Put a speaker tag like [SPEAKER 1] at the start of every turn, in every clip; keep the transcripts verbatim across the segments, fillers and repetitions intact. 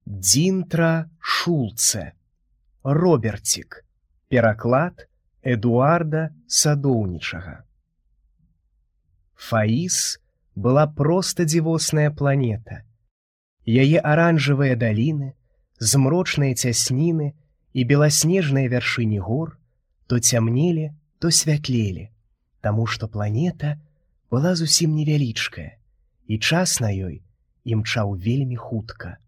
[SPEAKER 1] Дзінтра Шулце. Роберцік. Пераклад Эдуарда Садоўнічага. Фаіс была проста дзівосная планета. Яе аранжавыя даліны, змрочныя цясніны і беласнежныя вяршыні гор то цямнелі, то святлелі, таму што планета была зусім невялічкая, і час на ёй імчаў вельмі хутка.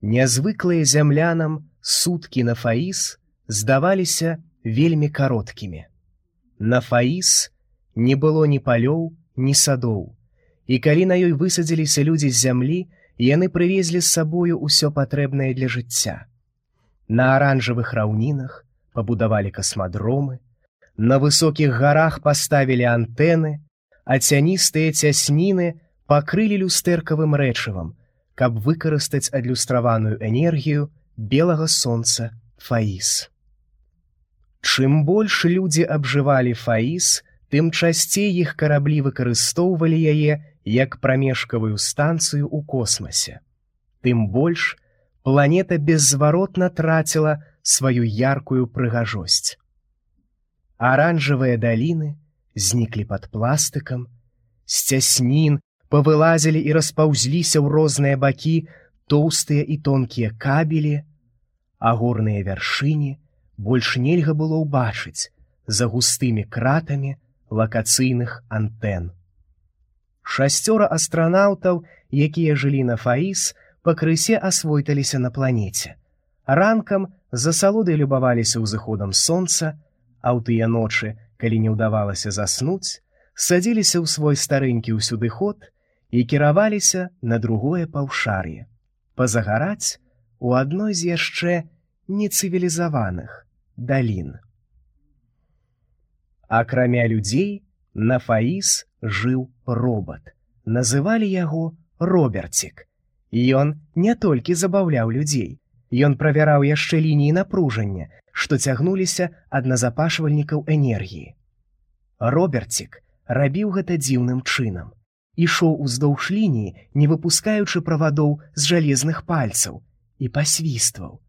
[SPEAKER 1] Нязвыклыя зямлянам суткі на Фаіс здаваліся вельмі кароткімі. На Фаіс не было ні палёў, ні садоў, і калі на ёй высадзіліся людзі з зямлі, яны прывезлі з сабою ўсё патрэбнае для жыцця. На аранжавых раўнінах пабудавалі касмадромы, на высокіх гарах паставілі антэны, а цяністыя цясніны пакрылі люстэркавым рэчывам, каб выкарыстаць адлюстраваную энергію белага сонца Фаіс. Чым больш людзі абжывалі Фаіс, тым часцей іх караблі выкарыстоўвалі яе як прамежкавую станцыю ў космасе. Тым больш планета беззваротна траціла сваю яркую прыгажосць. Аранжавыя даліны зніклі пад пластыкам, з цяснін павылазілі і распаўзліся ў розныя бакі тоўстыя і тонкія кабелі, а горныя вяршыні больш нельга было ўбачыць за густымі кратамі лакацыйных антэн. Шасцёра астранаўтаў, якія жылі на Фаіс, пакрысе асвойталіся на планеце. Ранкам з асалодай любаваліся ўзыходам сонца, а ў тыя ночы, калі не ўдавалася заснуць, садзіліся ў свой старэнькі ўсюдыход і кіраваліся на другое паўшар'е, пазагараць у адной з яшчэ нецывілізаваных далін. Акрамя людзей, на Фаіс жыў робат. Называлі яго Роберцік. Ён не толькі забаўляў людзей, ён правяраў яшчэ лініі напружання, што цягнуліся ад назапашвальнікаў энергіі. Роберцік рабіў гэта дзіўным чынам. Ішоў уздоўж лініі, не выпускаючы правадоў з жалезных пальцаў, і пасвістваў.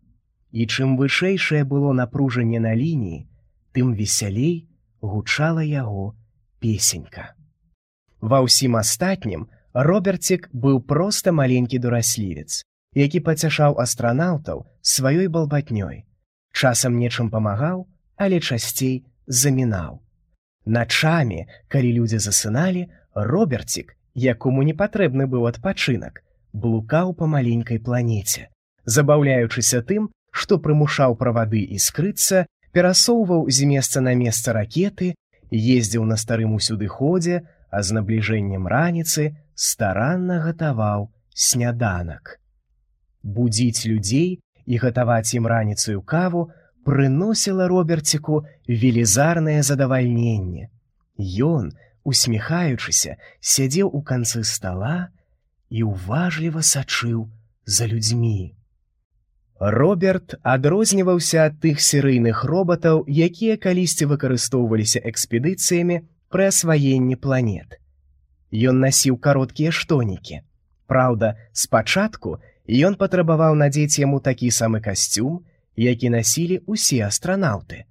[SPEAKER 1] І чым вышэйшае было напружанне на лініі, тым весялей гучала яго песенька. Ва ўсім астатнім Роберцік быў проста маленькі дураслівец, які пацяшаў астранаўтаў сваёй балбатнёй. Часам нечым памагаў, але часцей замінаў. Начамі, калі людзі засыналі, Роберцік, якому не патрэбны быў адпачынак, блукаў па маленькай планеце, забаўляючыся тым, што прымушаў правады іскрыцца, перасоўваў з месца на месца ракеты, ездзіў на старым усюдыходзе, а з набліжэннем раніцы старанна гатаваў сняданак. Будзіць людзей і гатаваць ім раніцую каву прыносіла Роберціку велізарнае задавальненне. Ён, усміхаючыся, сядзеў у канцы стала і уважліва сачыў за людзьмі. Роберт адрозніваўся ад тых серыйных робатаў, якія калісьці выкарыстоўваліся экспедыцыямі пры асваенні планет. Ён насіў кароткія штонікі. Праўда, спачатку ён патрабаваў надзець яму такі самы касцюм, які насілі ўсе астранаўты.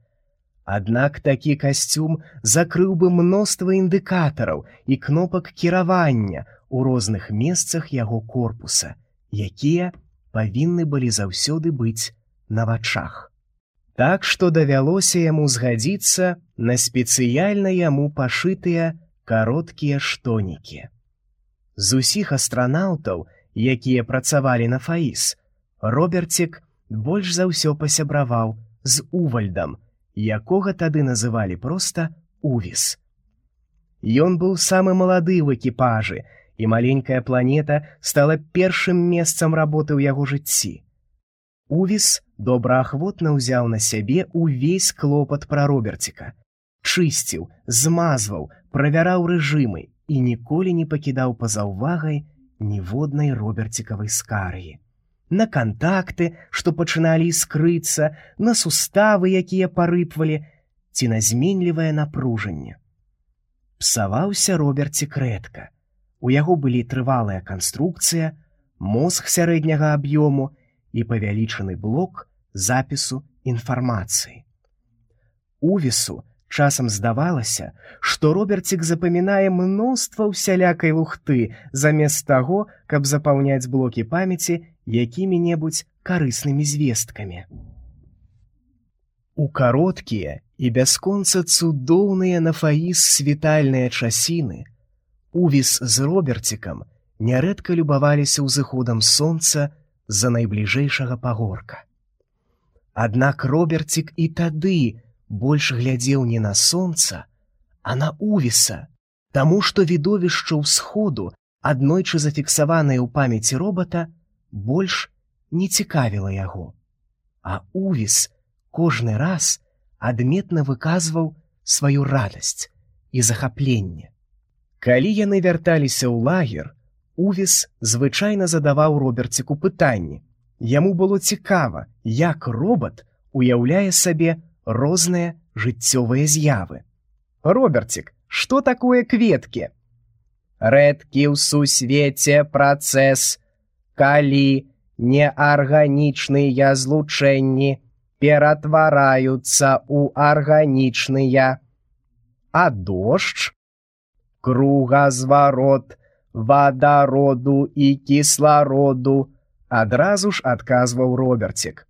[SPEAKER 1] Аднак такі касцюм закрыў бы мноства індыкатараў і кнопак кіравання ў розных месцах яго корпуса, якія павінны былі заўсёды быць на вачах. Так што давялося яму згадзіцца на спецыяльна яму пашытыя кароткія штонікі. З усіх астранаўтаў, якія працавалі на Фаіс, Роберцік больш за ўсё пасябраваў з Увальдам, якога тады называлі проста Увіс. Ён быў самы малады ў экіпажы, і маленькая планета стала першым месцам работы ў яго жыцці. Увіс добраахвотна ўзяў на сябе ўвесь клопат пра Роберціка. Чысціў, змазваў, правяраў рэжымы і ніколі не пакідаў па-за ўвагай ніводнай роберцікавай скаргі. На кантакты, што пачыналі іскрыцца, на суставы, якія парыпвалі, ці на зменлівае напружанне. Псаваўся Роберцік рэдка. У яго былі трывалая канструкцыя, мозг сярэдняга аб'ёму і павялічаны блок запісу інфармацыі. Увісу часам здавалася, што Роберцік запамінае мноства ўсялякай лухты замест таго, каб запаўняць блокі памяці якімі-небудзь карыснымі звесткамі. У кароткія і бясконца цудоўныя на Фаіс світальныя часіны Увіс з Роберцікам нярэдка любаваліся ўзыходам сонца з-за найбліжэйшага пагорка. Аднак Роберцік і тады больш глядзеў не на сонца, а на Увіса, таму што відовішча ўсходу, аднойчы зафіксаванае ў памяці робата, больш не цікавіла яго. А Увіс кожны раз адметна выказваў сваю радасць і захапленне. Калі яны вярталіся ў лагер, Увіс звычайна задаваў Роберціку пытанні. Яму было цікава, як робат уяўляе сабе розныя жыццёвыя з'явы. «Роберцік, што такое кветкі?» «Рэдкі ў сусвеце працэс, калі неарганічныя злучэнні ператвараюцца ў арганічныя. А дождж? Кругазварот вадароду і кіслароду», адразу ж адказваў Роберцік.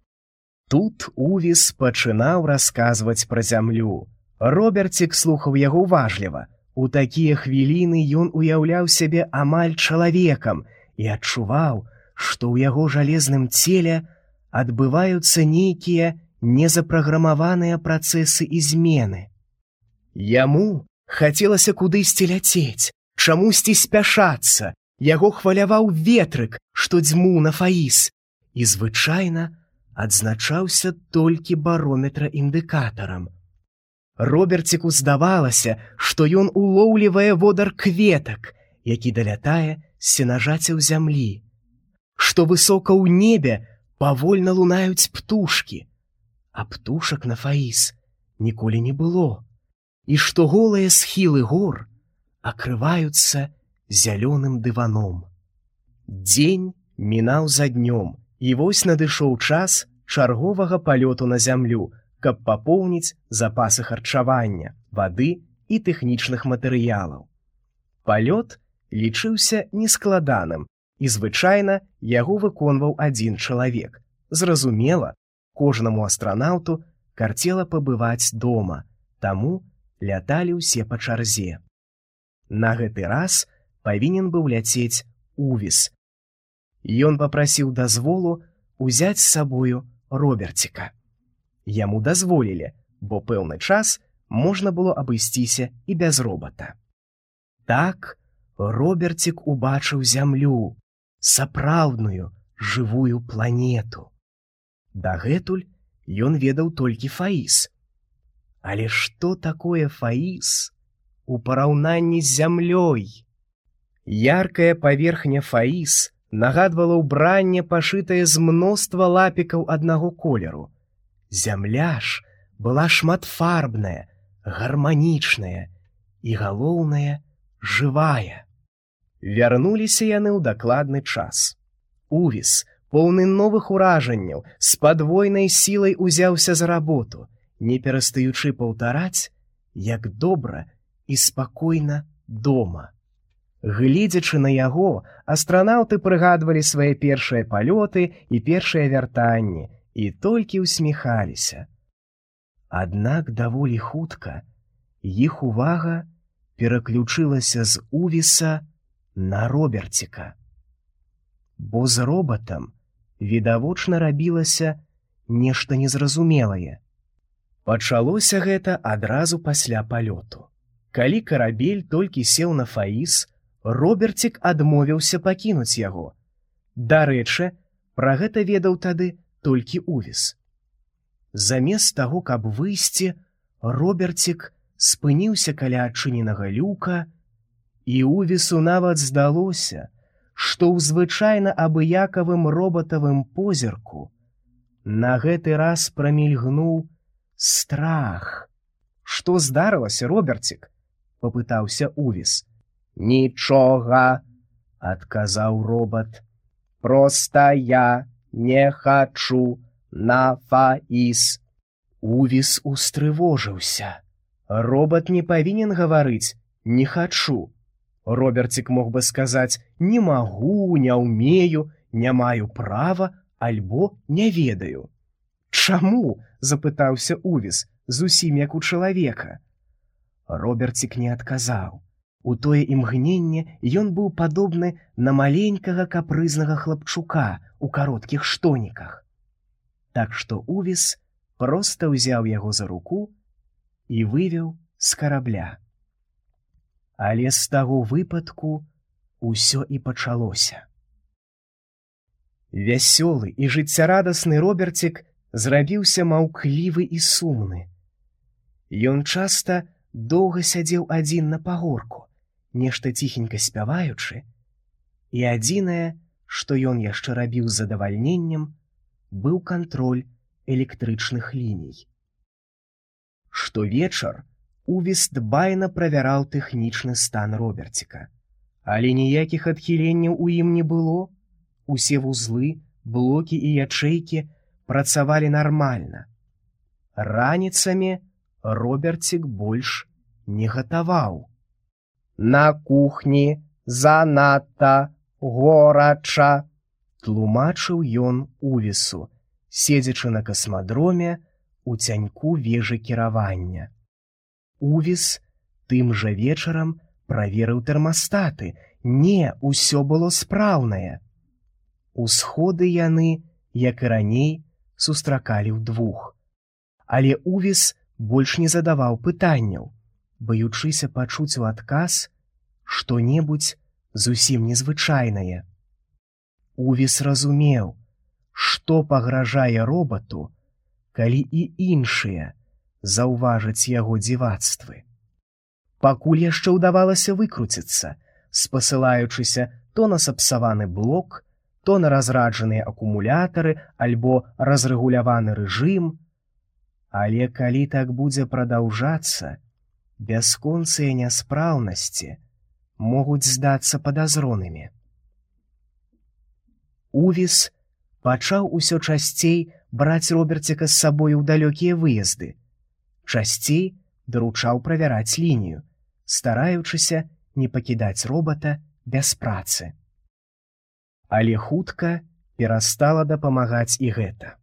[SPEAKER 1] Тут Увіс пачынаў расказваць пра зямлю. Роберцік слухаў яго уважліва. У такія хвіліны ён уяўляў сябе амаль чалавекам і адчуваў, што ў яго жалезным целе адбываюцца нейкія незапраграмаваныя працэсы і змены. Яму хацелася кудысьці ляцець, чамусьці спяшацца. Яго хваляваў ветрык, што дзьмуў на Фаіс, і звычайна адзначаўся толькі барометра-індыкатарам. Роберціку здавалася, што ён улоўлівае водар кветак, які далятае з сенажацяў зямлі, што высока ў небе павольна лунаюць птушкі, а птушак на Фаіс ніколі не было, і што голыя схілы гор акрываюцца зялёным дываном. Дзень мінаў за днём, і вось надышоў час чарговага палёту на зямлю, каб папоўніць запасы харчавання, вады і тэхнічных матэрыялаў. Палёт лічыўся нескладаным, і звычайна яго выконваў адзін чалавек. Зразумела, кожнаму астранаўту карцела пабываць дома, таму ляталі ўсе па чарзе. На гэты раз павінен быў ляцець Увіс. Ён папрасіў дазволу узяць з сабою Роберціка. Яму дазволілі, бо пэўны час можна было абысціся і без робата. Так Роберцік убачыў зямлю, сапраўдную жывую планету. Дагэтуль ён ведаў толькі Фаіс. Але што такое Фаіс у параўнанні з зямлёй? Яркая паверхня Фаіс нагадвала ўбранне, пашытае з мноства лапікаў аднаго колеру. Зямля ж была шматфарбная, гарманічная і, галоўнае, жывая. Вярнуліся яны ў дакладны час. Увіс, поўны новых уражанняў, з падвойнай сілай узяўся за работу, не перастаючы паўтараць, як добра і спакойна дома. Гледзячы на яго, астранаўты прыгадвалі свае першыя палёты і першыя вяртанні і толькі ўсміхаліся. Аднак даволі хутка іх увага пераключылася з Увіса на Роберціка. Бо з робатам відавочна рабілася нешта незразумелае. Пачалося гэта адразу пасля палёту. Калі карабель толькі сеў на Фаіс, Роберцік адмовіўся пакінуць яго. Дарэчы, пра гэта ведаў тады толькі Увіс. Замест таго, каб выйсці, Роберцік спыніўся каля адчыненага люка, і Увісу нават здалося, што ў звычайна абыякавым робатавым позірку на гэты раз прамільгнуў страх. «Што здарылася, Роберцік?» – папытаўся Увіс. «Нічога», – адказаў робат. «Проста я не хачу на Фаіс». Увіс устрывожыўся. Робат не павінен гаварыць «не хачу». Роберцік мог бы сказаць «не магу, не ўмею, не маю права» альбо «не ведаю». «Чаму?» – запытаўся Увіс, зусім як у чалавека. Роберцік не адказаў. У тое імгненне ён быў падобны на маленькага капрызнага хлапчука у кароткіх штоніках. Так што Увіс проста ўзяў яго за руку і вывеў з карабля. Але з таго выпадку ўсё і пачалося. Вясёлы і жыццярадасны Роберцік зрабіўся маўклівы і сумны. Ён часта доўга сядзеў адзін на пагорку, нешта ціхенька спяваючы, і адзінае, што ён яшчэ рабіў з задавальненнем, быў кантроль электрычных ліній. Штовечар Увіс дбайна правяраў тэхнічны стан Роберціка, але ніякіх адхіленняў у ім не было. Усе вузлы, блокі і ячэйкі працавалі нармальна. Раніцамі Роберцік больш не гатаваў. «На кухні занадта горача», тлумачыў ён Увісу, седзячы на касмадроме у цяньку вежы кіравання. Увіс тым жа вечарам праверыў тэрмастаты. Не, усё было спраўнае. Усходы яны, як і раней, сустракалі ўдвух. Але Увіс больш не задаваў пытанняў, баючыся пачуць у адказ што-небудзь зусім незвычайнае. Увіс разумеў, што пагражае робату, калі і іншыя заўважаць яго дзівацтвы. Пакуль яшчэ ўдавалася выкруціцца, спасылаючыся то на сапсаваны блок, то на разраджаныя акумулятары альбо разрэгуляваны рэжым. Але калі так будзе прадаўжацца, бясконцыя няспраўнасці могуць здацца падазронымі. Увіс пачаў усё часцей браць Роберціка з сабою ў далёкія выезды. Часцей даручаў правяраць лінію, стараючыся не пакідаць робата без працы. Але хутка перастала дапамагаць і гэта.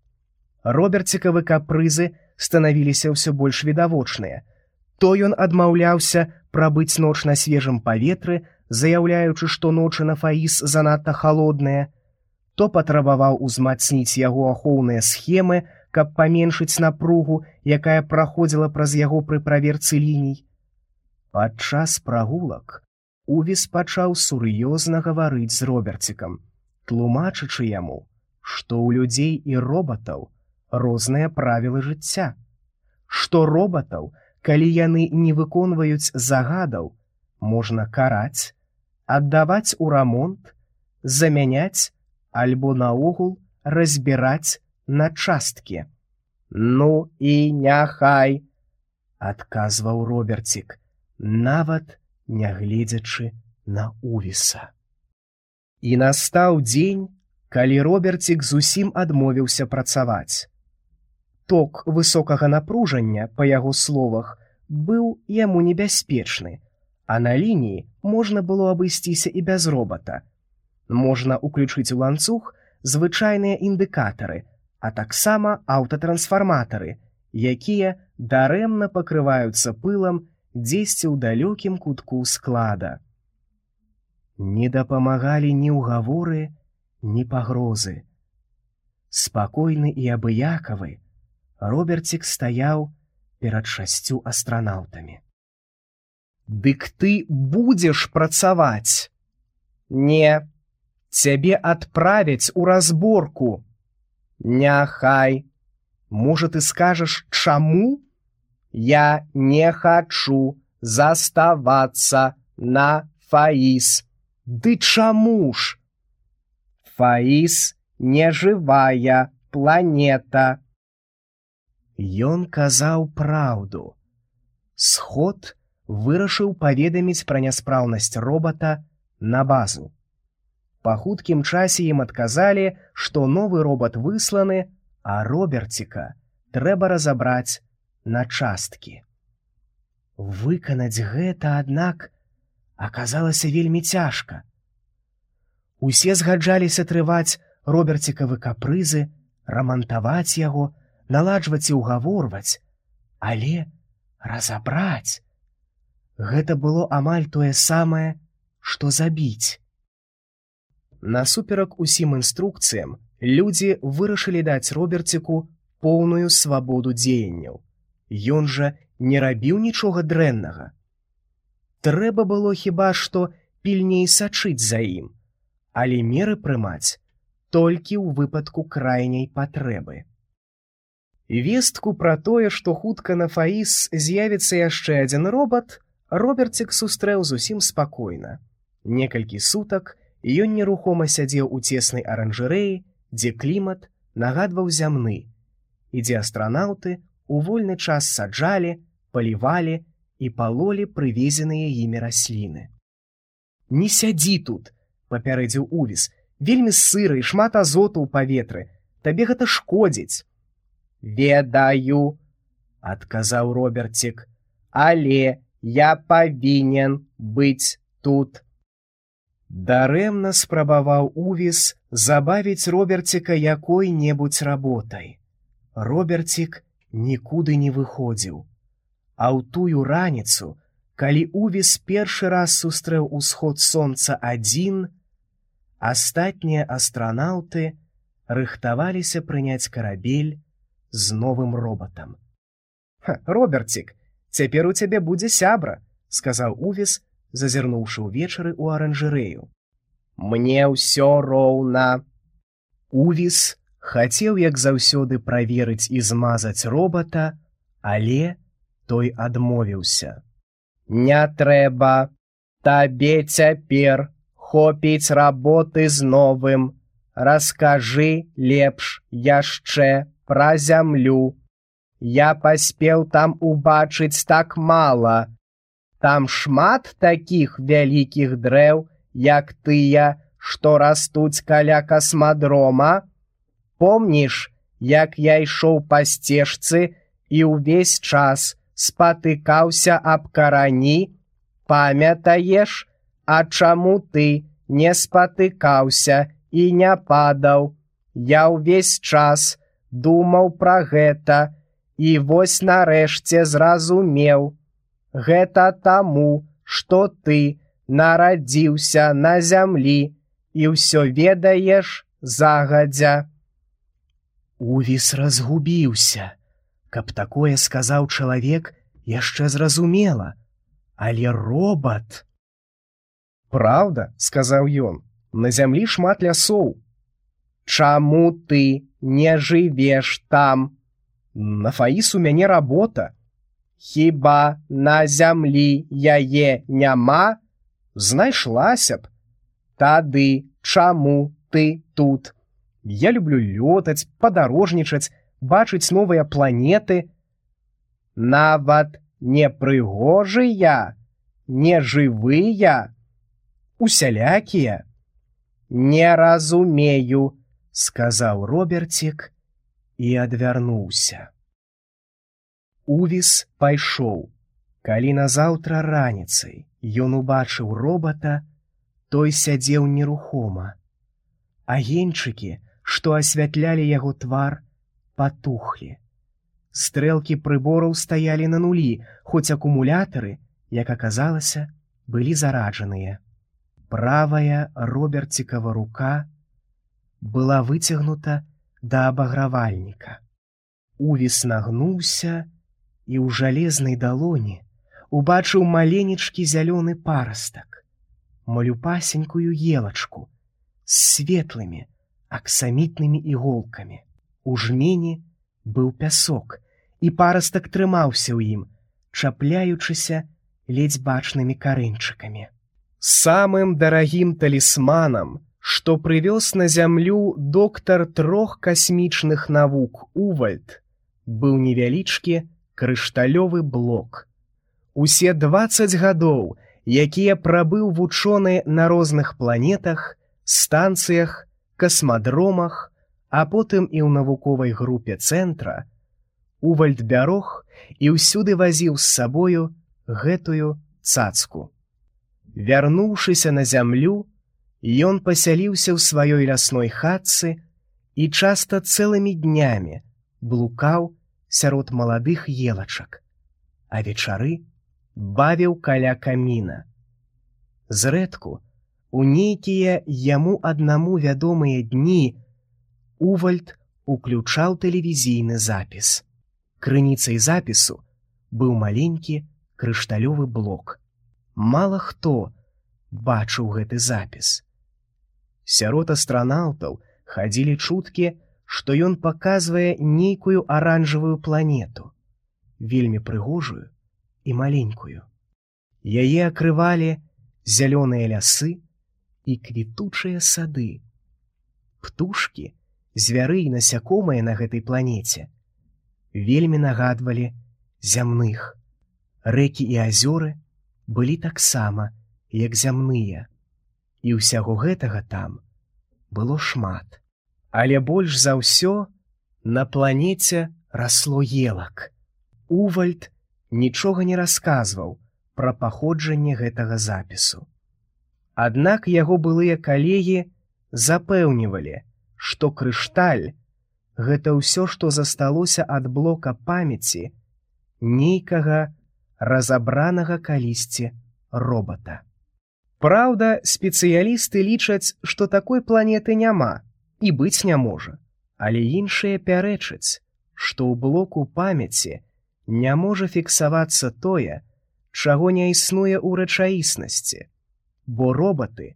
[SPEAKER 1] Роберцікавы капрызы станавіліся ўсё больш відавочныя. То ён адмаўляўся прабыць ноч на свежым паветры, заяўляючы, што ночы на Фаіс занадта халодныя, то патрабаваў узмацніць яго ахоўныя схемы, каб паменшыць напругу, якая праходзіла праз яго пры праверцы ліній. Падчас прагулак Увіс пачаў сур'ёзна гаварыць з Роберцікам, тлумачачы яму, што ў людзей і робатаў розныя правілы жыцця, што робатаў, калі яны не выконваюць загадаў, можна караць, аддаваць у рамонт, замяняць альбо наогул разбіраць на часткі. «Ну і няхай», – адказваў Роберцік, нават нягледзячы на Увіса. І настаў дзень, калі Роберцік зусім адмовіўся працаваць. Ток высокага напружання, па яго словах, быў яму небяспечны, а на лініі можна было абысціся і без робата. Можна ўключыць у ланцуг звычайныя індыкатары, а таксама аўтатрансфарматары, якія дарэмна пакрываюцца пылам дзесьці ў далёкім кутку склада. Не дапамагалі ні ўгаворы, ні пагрозы. Спакойны і абыякавы, Роберцік стаяў перад шасцю астранаўтамі. «Дык ты будзеш працаваць?» «Не, цябе адправяць у разборку». «Няхай. Можа, ты скажаш, чаму?» «Я не хачу заставацца на Фаіс». «Ды чаму ж?» «Фаіс не жывая планета». Ён казаў праўду. Сход вырашыў паведаміць пра няспраўнасць робата на базу. Па хуткім часе ім адказалі, што новы робат высланы, а Роберціка трэба разабраць на часткі. Выканаць гэта, аднак, аказалася вельмі цяжка. Усе згаджаліся трываць Роберцікавы капрызы, рамантаваць яго, наладжваць і ўгаворваць, але разабраць гэта было амаль тое самае, што забіць. Насуперак усім інструкцыям, людзі вырашылі даць Роберціку поўную свабоду дзеянняў. Ён жа не рабіў нічога дрэннага. Трэба было хіба што пільней сачыць за ім, але меры прымаць толькі ў выпадку крайняй патрэбы. Вестку пра тое, што хутка на Фаіс з'явіцца яшчэ адзін робат, Роберцік сустрэў зусім спакойна. Некалькі сутак ён нерухома сядзеў у цеснай аранжарэі, дзе клімат нагадваў зямны, і дзе астранаўты у вольны час саджалі, палівалі і палолі прывезеныя імі расліны. «Не сядзі тут!» — папярэдзіў Увіс. «Вельмі сыра і шмат азоту ў паветры. Табе гэта шкодзіць». «Ведаю!» — адказаў Роберцік. «Але я павінен быць тут». Дарэмна спрабаваў Увіс забавіць Роберціка якой-небудзь работай. Роберцік нікуды не выходзіў. А ў тую раніцу, калі Увіс першы раз сустрэў усход сонца адзін, астатнія астранаўты рыхтаваліся прыняць карабель з новым робатам. «Роберцік, цяпер у цябе будзе сябра», — сказаў Увіс, зазірнуўшы ўвечары ў аранжарэю. «Мне ўсё роўна». Увіс хацеў, як заўсёды, праверыць і змазаць робата, але той адмовіўся. «Не трэба. Табе цяпер хопіць работы з новым. Раскажы лепш яшчэ пра зямлю. Я паспеў там убачыць так мала. Там шмат такіх вялікіх дрэў, як тыя, што растуць каля касмадрома. Помніш, як я ішоў па сцежцы і ўвесь час спатыкаўся аб карані? Памятаеш, а чаму ты не спатыкаўся і не падаў? Я ўвесь час думаў пра гэта і вось нарэшце зразумеў. Гэта таму, што ты нарадзіўся на зямлі і ўсё ведаеш загадзя». Увіс разгубіўся. Каб такое сказаў чалавек, яшчэ зразумела. Але робат... «Праўда, — сказаў ён, — на зямлі шмат лясоў». «Чаму ты не жывеш там?» «На Фаіс у мяне работа». «Хіба на зямлі яе няма?» «Знайшлася б». «Тады чаму ты тут?» «Я люблю лётаць, падарожнічаць, бачыць новыя планеты». «Нават не прыгожыя, не жывыя, усялякія?» «Не разумею», — сказаў Роберцік і адвярнуўся. Увіс пайшоў. Калі назаўтра раніцай ён убачыў робата, той сядзеў нерухома. Агеньчыкі, што асвятлялі яго твар, патухлі. Стрэлкі прыбораў стаялі на нулі, хоць акумулятары, як аказалася, былі зараджаныя. Правая Роберцікава рука была выцягнута да абагравальніка. Увіс нагнуўся і ў жалезнай далоні убачыў маленечкі зялёны парастак, малюпасенькую елачку з светлымі аксамітнымі іголкамі. У жмені быў пясок, і парастак трымаўся ў ім, чапляючыся ледзь бачнымі карэньчыкамі. Самым дарагім талісманам, што прывёз на зямлю доктар трох касмічных навук Увальд, быў невялічкі крышталёвы блок. Усе дваццаць гадоў, якія прабыў вучоны на розных планетах, станцыях, касмадромах, а потым і ў навуковай групе цэнтра, Увальд бярог і ўсюды вазіў з сабою гэтую цацку. Вярнуўшыся на зямлю, ён пасяліўся ў сваёй лясной хатцы і часта цэлымі днямі блукаў сярод маладых елачак, а вечары бавіў каля каміна. Зрэдку, у нейкія яму аднаму вядомыя дні, Увальд уключаў тэлевізійны запіс. Крыніцай запісу быў маленькі крышталёвы блок. Мала хто бачыў гэты запіс. Сярод астранаўтаў хадзілі чуткі, што ён паказвае нейкую аранжавую планету, вельмі прыгожую і маленькую. Яе акрывалі зялёныя лясы і квітучыя сады. Птушкі, звяры і насякомыя на гэтай планеце вельмі нагадвалі зямных. Рэкі і азёры былі таксама, як зямныя. І ўсяго гэтага там было шмат. Але больш за ўсё на планеце расло елак. Увальд нічога не расказваў пра паходжанне гэтага запісу. Аднак яго былыя калегі запэўнівалі, што крышталь — гэта ўсё, што засталося ад блока памяці нейкага разабранага калісьці робата. Праўда, спецыялісты лічаць, што такой планеты няма і быць не можа, але іншыя пярэчаць, што ў блоку памяці не можа фіксавацца тое, чаго не існуе ў рэчаіснасці, бо робаты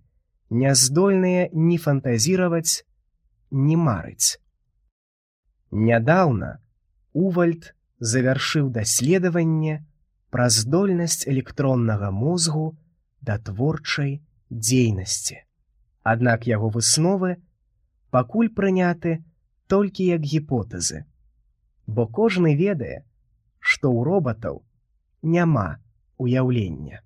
[SPEAKER 1] не здольныя ні фантазіраваць, ні марыць. Нядаўна Увальд завяршыў даследаванне пра здольнасць электроннага мозгу да творчай дзейнасці. Аднак яго высновы пакуль прыняты толькі як гіпотэзы, бо кожны ведае, што ў робатаў няма уяўлення.